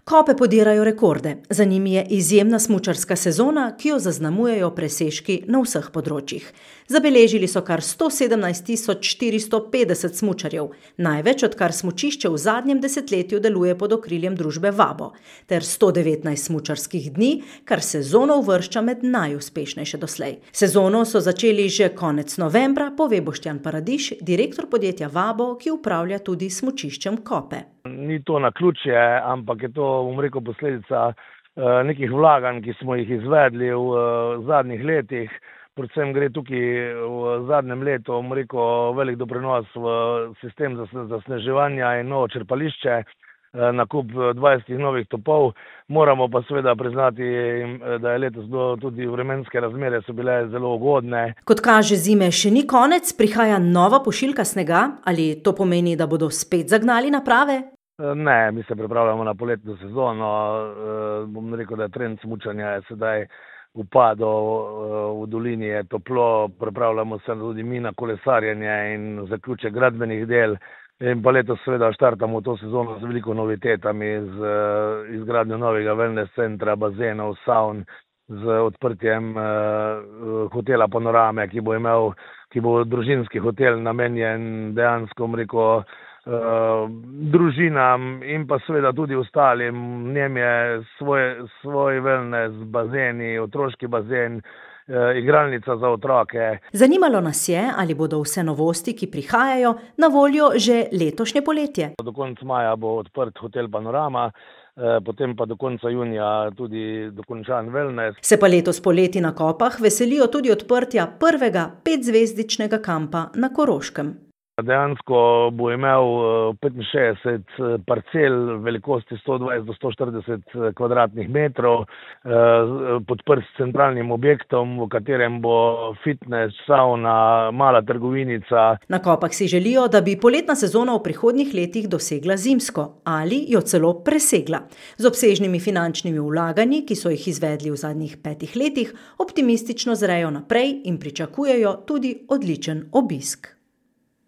Kope podirajo rekorde, za njimi je izjemna smučarska sezona, ki jo zaznamujejo presežki na vseh področjih. Zabeležili so kar 117.450 smučarjev, največ odkar smučišče v zadnjem desetletju deluje pod okriljem družbe Vabo, ter 119 smučarskih dni, kar sezono uvršča med najuspešnejše doslej. Sezono so začeli že konec novembra, pove Boštjan Paradiž, direktor podjetja Vabo, ki upravlja tudi smučiščem Kope. Ni to naključje, ampak je to, posledica nekih vlaganj, ki smo jih izvedli v zadnjih letih. Predvsem gre tukaj v zadnjem letu, velik doprinos v sistem zasneževanja in novo črpališče, nakup 20 novih topov. Moramo pa seveda priznati, da je letos tudi vremenske razmere so bile zelo ugodne. Kot kaže, zime še ni konec, prihaja nova pošiljka snega, ali to pomeni, da bodo spet zagnali naprave? Ne, mi se pripravljamo na poletno sezono. Da je trend smučanja je sedaj upadal, v dolini je toplo, pripravljamo se tudi mi na kolesarjenje in zaključek gradbenih del. In pa letos seveda štartamo to sezono z veliko novitetami, z izgradnjo novega wellness centra, bazenov, savn, z odprtjem hotela Panorame, ki bo družinski hotel namenjen dejansko, družinam in pa seveda tudi ostalim. V njem je svoj wellness, bazeni, otroški bazen, igralnica za otroke. Zanimalo nas je, ali bodo vse novosti, ki prihajajo, na voljo že letošnje poletje. Do konca maja bo odprt hotel Panorama, potem pa do konca junija tudi dokončan wellness. Se pa letos poleti na Kopah veselijo tudi odprtja prvega 5-zvezdičnega kampa na Koroškem. Dejansko bo imel 65 parcel velikosti 120 do 140 kvadratnih metrov, podprt s centralnim objektom, v katerem bo fitness, sauna, mala trgovinica. Na Kopah si želijo, da bi poletna sezona v prihodnjih letih dosegla zimsko ali jo celo presegla. Z obsežnimi finančnimi vlaganji, ki so jih izvedli v zadnjih 5 letih, optimistično zrejo naprej in pričakujejo tudi odličen obisk.